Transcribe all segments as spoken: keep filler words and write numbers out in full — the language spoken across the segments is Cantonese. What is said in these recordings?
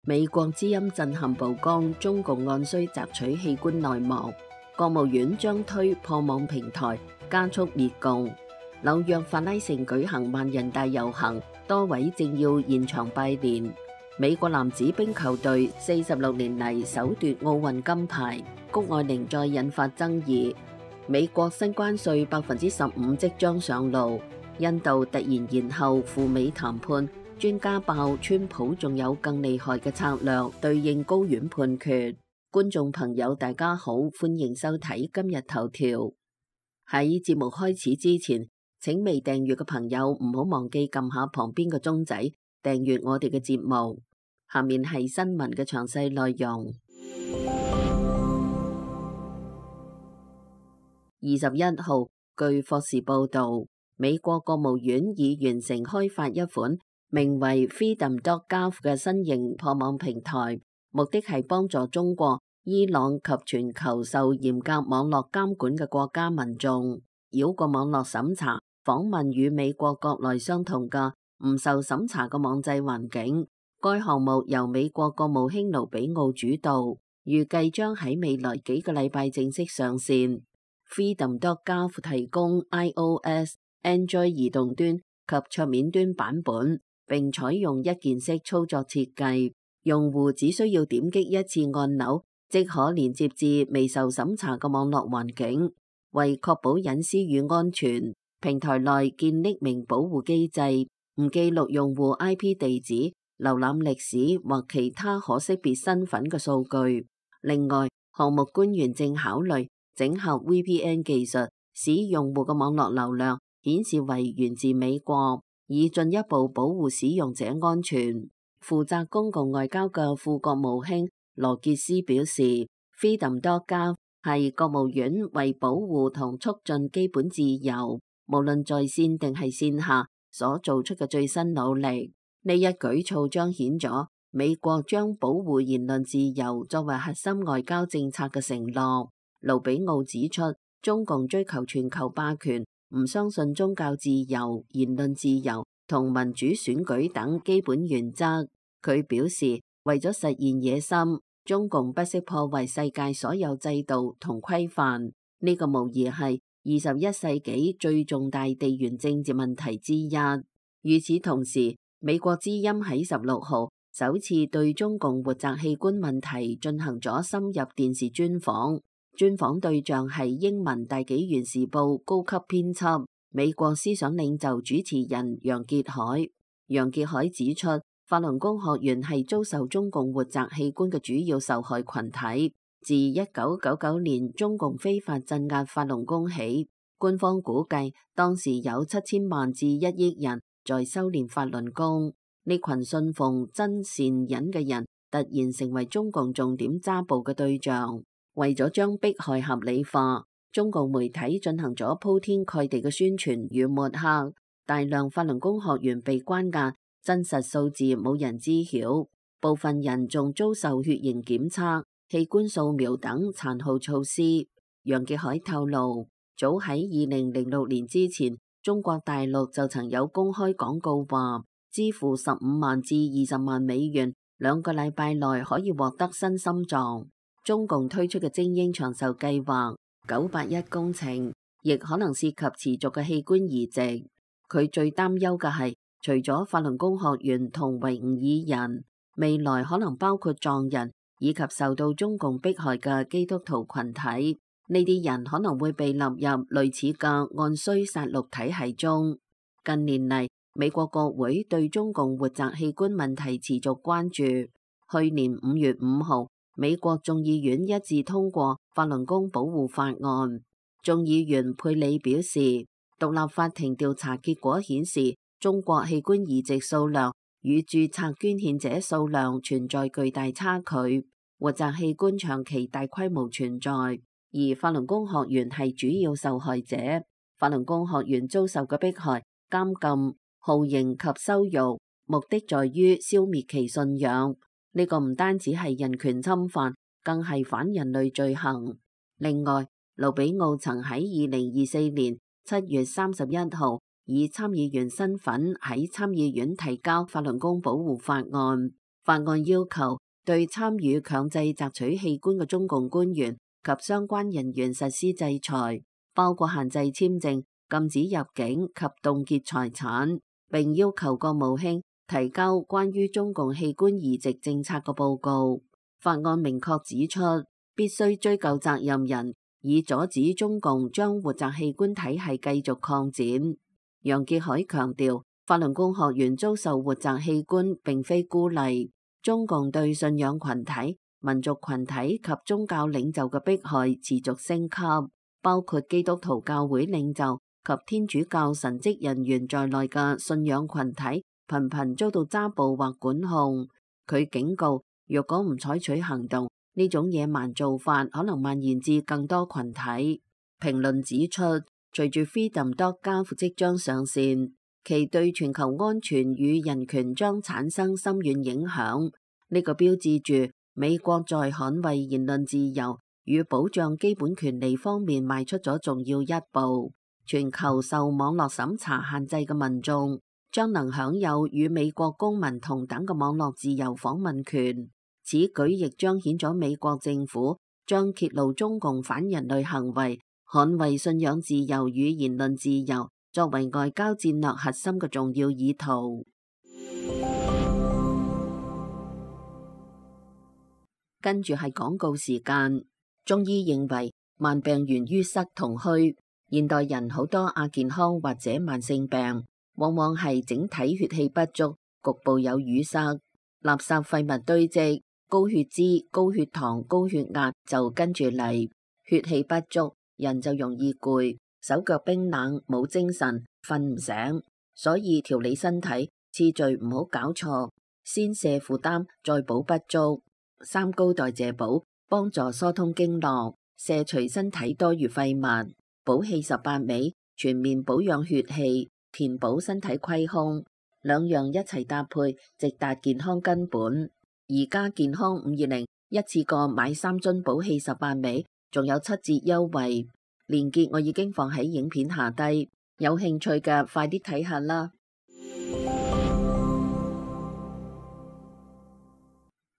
美國之音震撼曝光，中共按需摘取器官內幕，國務院將推破網平台，加速滅共。紐約法拉盛舉行萬人大遊行，多位政要現場拜年。美國男子冰球隊四十六年嚟首奪奧運金牌，谷愛凌再引發爭議。美國新關稅百分之十五即將上路，印度突然延後赴美談判。專家爆川普仲有更厲害嘅策略對應高院判決。觀眾朋友大家好，歡迎收睇今日頭條。喺節目開始之前，請未訂閱嘅朋友唔好忘記撳下旁邊嘅鐘仔，訂閱我哋嘅節目。下面係新聞嘅詳細內容。二十一號，據霍士報道，美國國務院已完成開發一款名為 Freedom dot gov 嘅新型破網平台，目的係幫助中國、伊朗及全球受嚴格網絡監管嘅國家民眾繞過網絡審查，訪問與美國國內相同嘅唔受審查嘅網際環境。該項目由美國國務卿盧比奧主導，預計將喺未來幾個禮拜正式上線。Freedom dot gov 提供 iOS、Android 移動端及桌面端版本，並採用一鍵式操作設計，用戶只需要點擊一次按鈕，即可連接至未受審查嘅網絡環境。為確保隱私與安全，平台內建匿名保護機制，唔記錄用戶 I P 地址、瀏覽歷史或其他可識別身份嘅數據。另外，項目官員正考慮整合 V P N 技術，使用戶嘅網絡流量顯示為源自美國，以進一步保護使用者安全。負責公共外交嘅副國務卿羅傑斯表示 ，Freedom dot gov 係國務院為保護同促進基本自由，無論在線定係線下所做出嘅最新努力。呢一舉措彰顯咗美國將保護言論自由作為核心外交政策嘅承諾。盧比奧指出，中共追求全球霸權，唔相信宗教自由、言論自由同民主選舉等基本原則。佢表示，為咗實現野心，中共不惜破壞世界所有制度同規範。呢個無疑係二十一世紀最重大地緣政治問題之一。與此同時，美國之音喺十六號首次對中共活摘器官問題進行咗深入電視專訪。專訪對象係英文大紀元時報高級編輯、美國思想領袖主持人楊潔海。楊潔海指出，法輪功學員係遭受中共活摘器官嘅主要受害群體。自一九九九年中共非法鎮壓法輪功起，官方估計當時有七千萬至一億人在修煉法輪功。呢群信奉真善忍嘅人突然成為中共重點揸捕嘅對象。為咗將迫害合理化，中共媒體進行咗鋪天蓋地嘅宣傳與抹黑，大量法輪功學員被關押，真實數字冇人知曉。部分人仲遭受血型檢測、器官掃描等殘酷措施。楊潔海透露，早喺二零零六年之前，中國大陸就曾有公開廣告話，支付十五萬至二十萬美元，兩個禮拜內可以獲得新心臟。中共推出嘅精英長壽計劃九八一工程，亦可能涉及持續嘅器官移植。佢最擔憂嘅係，除咗法輪功學員同維吾爾人，未來可能包括藏人以及受到中共迫害嘅基督徒群體。呢啲人可能會被納入類似嘅按需殺戮體系中。近年嚟，美國國會對中共活摘器官問題持續關注。去年五月五號，美國眾議院一致通過法輪功保護法案。眾議員佩里表示，獨立法庭調查結果顯示，中國器官移植數量與註冊捐獻者數量存在巨大差距，活摘器官長期大規模存在，而法輪功學員係主要受害者。法輪功學員遭受嘅迫害、監禁、酷刑及羞辱，目的在於消滅其信仰。呢個唔單止係人權侵犯，更係反人類罪行。另外，盧比奧曾喺二零二四年七月三十一號以參議員身份喺參議院提交法輪功保護法案。法案要求對參與強制摘取器官嘅中共官員及相關人員實施制裁，包括限制簽證、禁止入境及凍結財產，並要求國務卿提交關於中共器官移植政策嘅報告。法案明確指出，必須追究責任人，以阻止中共將活摘器官體系繼續擴展。楊潔篪強調，法輪功學員遭受活摘器官並非孤立，中共對信仰群體、民族群體及宗教領袖嘅迫害持續升級，包括基督徒教會領袖及天主教神職人員在內嘅信仰群體頻頻遭到抓捕或管控。佢警告，若果唔採取行動，呢種野蠻做法可能蔓延至更多群體。評論指出，隨住 freedom dot gov 即將上線，其對全球安全與人權將產生深遠影響。呢個標誌住美國在捍衛言論自由與保障基本權利方面邁出咗重要一步。全球受網絡審查限制嘅民眾將能享有與美國公民同等嘅網絡自由訪問權。此舉亦彰顯咗美國政府將揭露中共反人類行為、捍衛信仰自由與言論自由作為外交戰略核心嘅重要意圖。跟住係廣告時間。中醫認為慢病源於塞同虛，現代人好多亞健康或者慢性病，往往係整體血氣不足，局部有淤塞，垃圾廢物堆積，高血脂、高血糖、高血壓就跟住嚟。血氣不足，人就容易攰，手腳冰冷，冇精神，瞓唔醒。所以調理身體次序唔好搞錯，先瀉負擔，再補不足。三高代謝補幫助疏通經絡，瀉除身體多餘廢物。補氣十八味全面保養血氣，填補身體虧空，兩樣一齊搭配，直達健康根本。而家健康五二零一次過買三樽補氣十八味，仲有七折優惠，鏈接我已經放喺影片下低，有興趣嘅快啲睇下啦。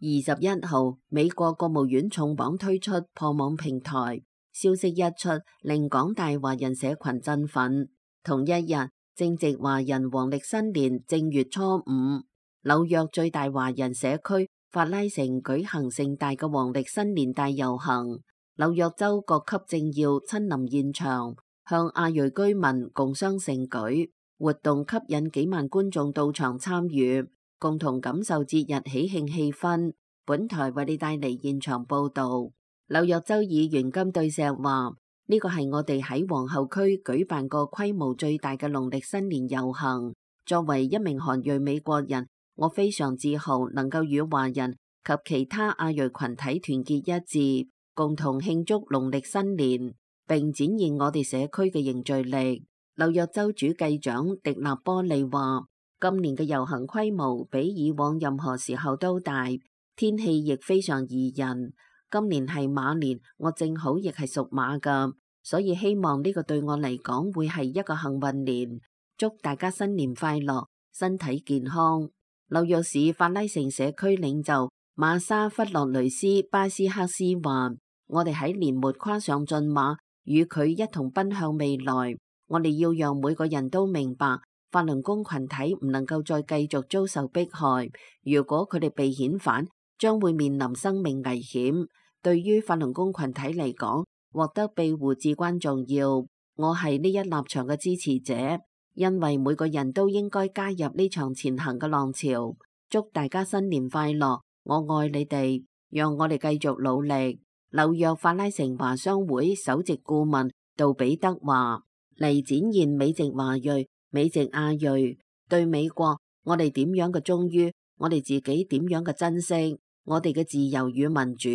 二十一號，美國國務院重磅推出破網平台，消息一出，令廣大華人社群振奮。同一日，正值華人黃曆新年正月初五，紐約最大華人社區法拉盛舉行盛大嘅黃曆新年大遊行，紐約州各級政要親臨現場，向亞裔居民共襄盛舉，活動吸引幾萬觀眾到場參與，共同感受節日喜慶氣氛。本台為你帶嚟現場報道。紐約州議員金對石話：呢個係我哋喺皇后區舉辦過規模最大嘅農曆新年遊行。作為一名韓裔美國人，我非常自豪能夠與華人及其他亞裔群體團結一致，共同慶祝農曆新年，並展現我哋社區嘅凝聚力。紐約州主計長迪納波利話：今年嘅遊行規模比以往任何時候都大，天氣亦非常宜人。今年係馬年，我正好亦係屬馬㗎，所以希望呢個對我嚟講會係一個幸運年。祝大家新年快樂，身體健康。紐約市法拉盛社區領袖馬莎弗洛雷斯巴斯克斯話：我哋喺年末跨上駿馬，與佢一同奔向未來。我哋要讓每個人都明白，法輪功群體唔能夠再繼續遭受迫害。如果佢哋被遣返，將會面臨生命危險。對於法輪功群體嚟講，獲得庇護至關重要。我係呢一立場嘅支持者，因為每個人都應該加入呢場前行嘅浪潮。祝大家新年快樂，我愛你哋，讓我哋繼續努力。紐約法拉盛華商會首席顧問杜比德話：嚟展現美籍華裔、美籍亞裔對美國，我哋點樣嘅忠於，我哋自己點樣嘅珍惜，我哋嘅自由與民主。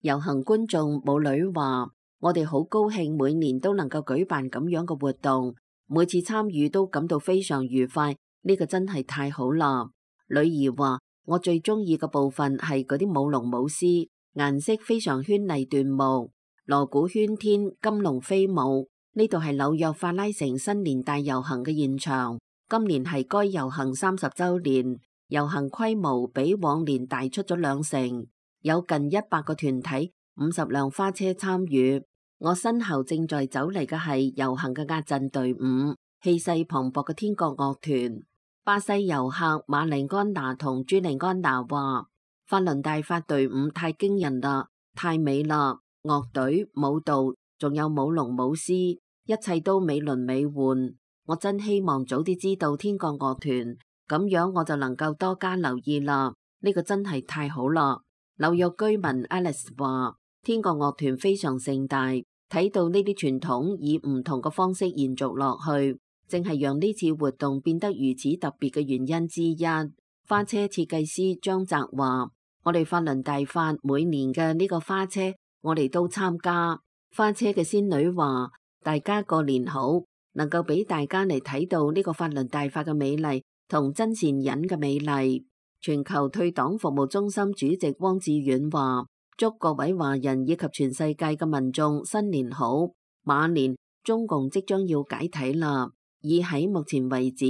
遊行觀眾母女話：我哋好高興每年都能夠舉辦咁樣嘅活動，每次參與都感到非常愉快，呢個真係太好啦。女兒話：我最中意嘅部分係嗰啲舞龍舞獅，顏色非常絢麗奪目，鑼鼓喧天，金龍飛舞。呢度係紐約法拉盛新年大遊行嘅現場，今年係該遊行三十週年。遊行規模比往年大出咗兩成，有近一百個團體、五十輛花車參與。我身後正在走嚟嘅係遊行嘅壓陣隊伍，氣勢磅礴嘅天國樂團。巴西遊客馬利安娜同朱利安娜話：法輪大法隊伍太驚人啦，太美啦！樂隊、舞蹈，仲有舞龍舞獅，一切都美輪美奐。我真希望早啲知道天國樂團，咁樣我就能夠多加留意啦。呢個真係太好啦！紐約居民 Alice 話：天國樂團非常盛大，睇到呢啲傳統以唔同嘅方式延續落去，正係讓呢次活動變得如此特別嘅原因之一。花車設計師張澤話：我哋法輪大法每年嘅呢個花車，我哋都參加。花車嘅仙女話：大家過年好，能夠俾大家嚟睇到呢個法輪大法嘅美麗同真善忍嘅美麗。全球退黨服務中心主席汪志遠話：祝各位華人以及全世界嘅民眾新年好。馬年中共即將要解體啦，而喺目前為止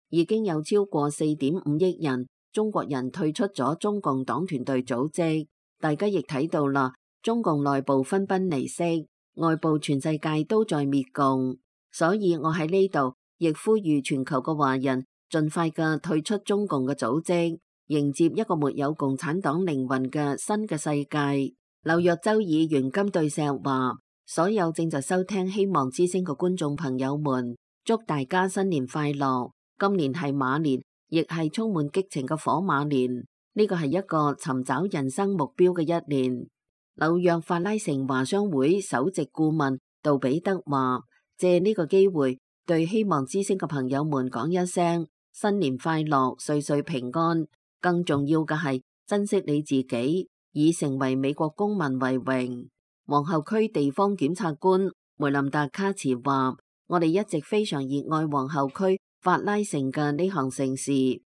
已經有超過四點五億人中國人退出咗中共黨團隊組織。大家亦睇到啦，中共內部分崩離析，外部全世界都在滅共。所以我喺呢度亦呼籲全球嘅華人盡快嘅退出中共嘅組織，迎接一個沒有共產黨靈魂嘅新嘅世界。紐約州議員金對石話：所有正在收聽希望之聲嘅觀眾朋友們，祝大家新年快樂！今年係馬年，亦係充滿激情嘅火馬年。呢個係一個尋找人生目標嘅一年。紐約法拉盛華商會首席顧問杜比德話：借呢個機會對希望之聲嘅朋友們講一聲新年快樂，歲歲平安。更重要嘅係珍惜你自己，以成為美國公民為榮。皇后區地方檢察官梅林達卡茨話：我哋一直非常熱愛皇后區法拉盛嘅呢項盛事，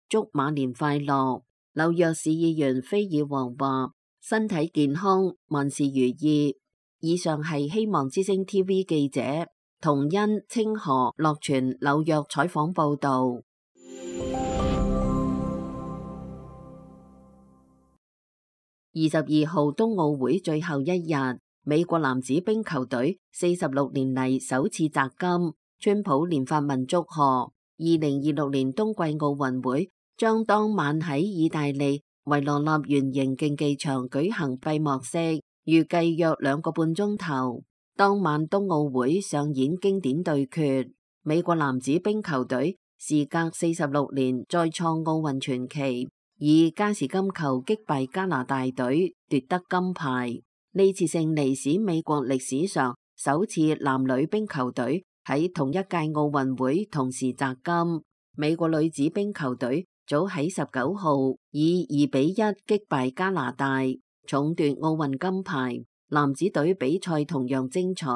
祝馬年快樂。紐約市議員菲爾王話：身體健康，萬事如意。以上係希望之聲 T V 記者童恩、清河、樂全紐約採訪報道。二十二號冬奧會最後一日，美國男子冰球隊四十六年嚟首次摘金。川普連發文祝賀。二零二六年冬季奧運會將當晚喺意大利維羅納圓形競技場舉行閉幕式，預計約兩個半鐘頭。當晚冬奧會上演經典對決，美國男子冰球隊時隔四十六年再創奧運傳奇，以加時金球擊敗加拿大隊奪得金牌。呢次勝利使美國歷史上首次男女冰球隊喺同一屆奧運會同時摘金。美國女子冰球隊早喺十九號以二比一擊敗加拿大，重奪奧運金牌。男子隊比賽同樣精彩，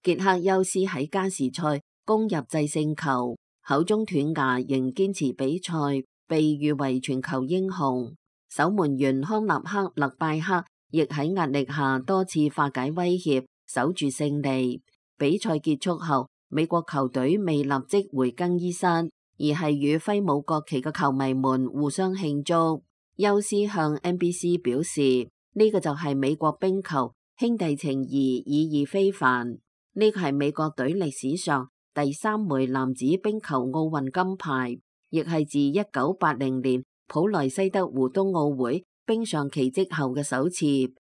傑克休斯喺加時賽攻入制勝球，口中斷牙仍堅持比賽，被譽為全球英雄。守門員康納克勒拜克亦喺壓力下多次化解威脅，守住勝利。比賽結束後，美國球隊未立即回更衣室，而係與揮舞國旗嘅球迷們互相慶祝。休斯向 N B C 表示：呢個就係美國冰球，兄弟情誼意義非凡。呢個係美國隊歷史上第三枚男子冰球奧運金牌，亦係自一九八零年普萊西德湖冬奧會冰上奇蹟後嘅首次。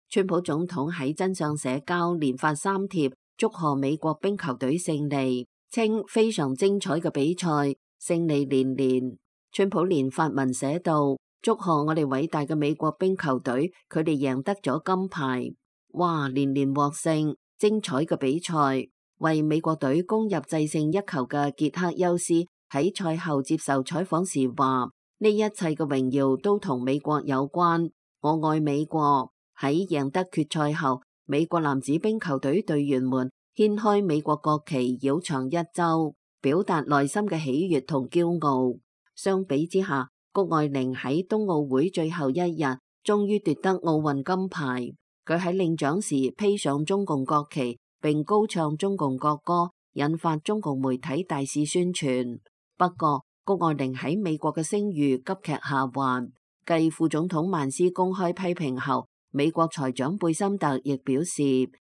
川普總統喺真相社交連發三帖祝賀美國冰球隊勝利，稱非常精彩嘅比賽，勝利連連。川普連發文寫道：祝賀我哋偉大嘅美國冰球隊，佢哋贏得咗金牌。哇！連連獲勝，精彩嘅比賽。為美國隊攻入制勝一球嘅傑克休斯喺賽後接受採訪時話：呢一切嘅榮耀都同美國有關，我愛美國。喺贏得決賽後，美國男子冰球隊隊員們掀開美國國旗繞場一周，表達內心嘅喜悅同驕傲。相比之下，谷愛凌喺冬奧會最後一日終於奪得奧運金牌。佢喺領獎時披上中共國旗並高唱中共國歌，引發中共媒體大肆宣傳。不過谷愛凌喺美國嘅聲譽急劇下滑。繼副總統曼斯公開批評後，美國財長貝森特亦表示，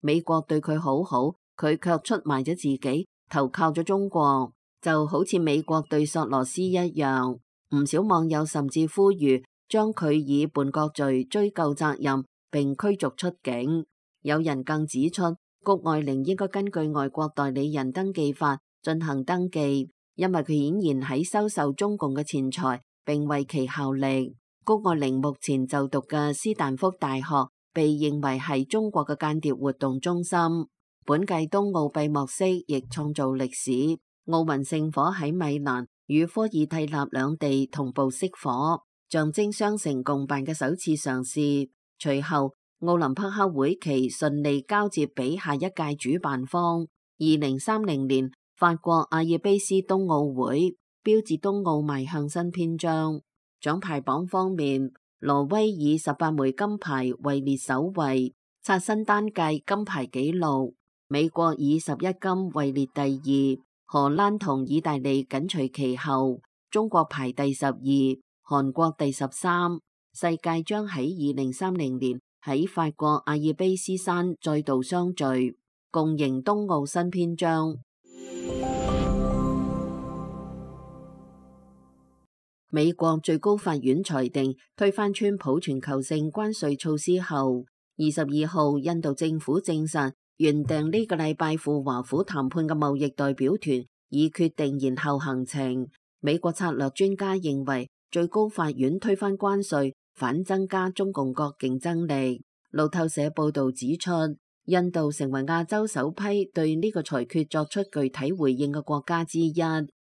美國對佢好好，佢卻出賣咗自己，投靠咗中國，就好似美國對索羅斯一樣。唔少網友甚至呼籲將佢以叛國罪追究責任，並驅逐出境。有人更指出，谷愛凌應該根據外國代理人登記法進行登記，因為佢顯然喺收受中共嘅錢財，並為其效力。谷愛凌目前就讀嘅斯坦福大學被認為係中國嘅間諜活動中心。本屆冬奧閉幕式亦創造歷史，奧運聖火喺米蘭與科爾蒂納兩地同步熄火，象徵雙城共辦嘅首次嘗試。隨後，奧林匹克會旗順利交接俾下一屆主辦方。二零三零年法國阿爾卑斯冬奧會，標誌冬奧邁向新篇章。獎牌榜方面，挪威以十八枚金牌位列首位，刷新單屆金牌紀錄。美國以十一金位列第二，荷蘭同意大利緊隨其後，中國排第十二，韓國第十三。世界將喺二零三零年喺法國阿爾卑斯山再度相聚，共迎冬奧新篇章。美國最高法院裁定推翻川普全球性關稅措施後，二十二號印度政府證實，原定呢個禮拜赴華府談判嘅貿易代表團已決定延後行程。美國策略專家認為，最高法院推翻關稅反增加中共國競爭力。路透社報道指出，印度成為亞洲首批對呢個裁決作出具體回應嘅國家之一。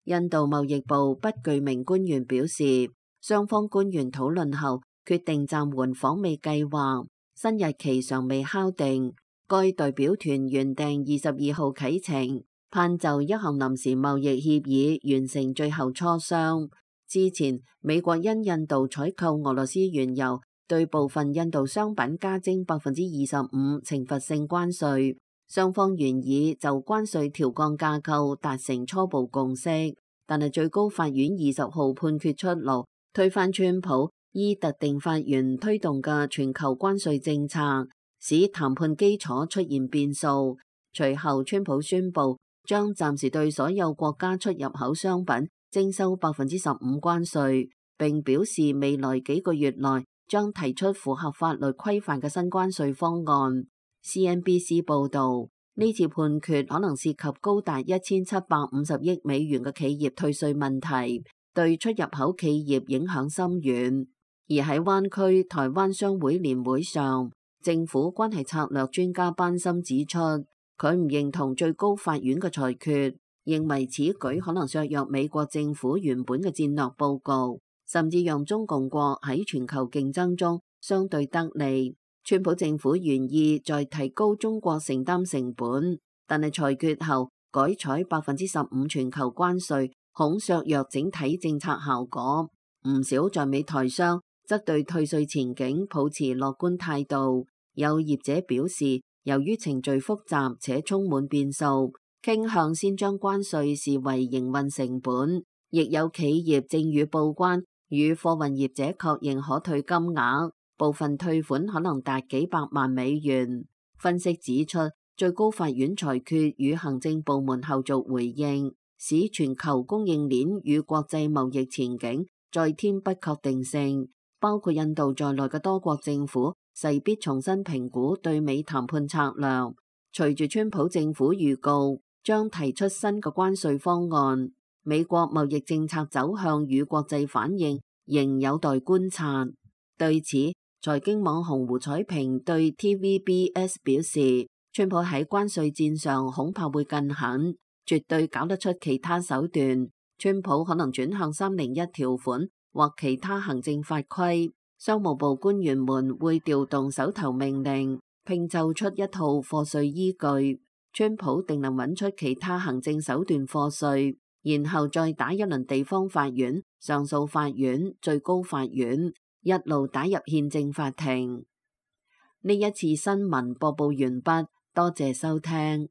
印度貿易部不具名官員表示，雙方官員討論後決定暫緩訪美計劃，新日期尚未敲定。該代表團原定二十二號啟程，盼就一項臨時貿易協議完成最後磋商。之前，美國因印度採購俄羅斯原油，對部分印度商品加徵百分之二十五懲罰性關稅。雙方原已就關稅調降架構達成初步共識，但係最高法院二十號判決出爐，推翻川普依特定法源推動嘅全球關稅政策，使談判基礎出現變數。隨後，川普宣布將暫時對所有國家出入口商品徵收百分之十五關稅，並表示未來幾個月內將提出符合法律規範嘅新關稅方案。C N B C 報導，呢次判決可能涉及高達一千七百五十億美元嘅企業退稅問題，對出入口企業影響深遠。而喺灣區台灣商會年會上，政府關係策略專家班森指出，佢唔認同最高法院嘅裁決，認為此舉可能削弱美國政府原本嘅戰略佈局，甚至讓中共國喺全球競爭中相對得利。川普政府願意再提高中國承擔成本，但係裁決後改採百分之十五全球關稅，恐削弱整體政策效果。唔少在美台商則對退稅前景抱持樂觀態度。有業者表示，由於程序複雜且充滿變數，傾向先將關稅視為營運成本。亦有企業正與報關與貨運業者確認可退金額。部分退款可能達幾百萬美元。分析指出，最高法院裁決與行政部門後續回應，使全球供應鏈與國際貿易前景再添不確定性。包括印度在內嘅多國政府勢必重新評估對美談判策略。隨住川普政府預告將提出新嘅關稅方案，美國貿易政策走向與國際反應仍有待觀察。對此，財經網紅胡彩平對 T V B S 表示，川普喺關稅戰上恐怕會更狠，絕對搞得出其他手段。川普可能轉向三零一條款或其他行政法規，商務部官員們會調動手頭命令，拼湊出一套課稅依據。川普定能揾出其他行政手段課稅，然後再打一輪地方法院、上訴法院、最高法院，一路打入憲政法庭。呢一次新聞播報完畢，多謝收聽。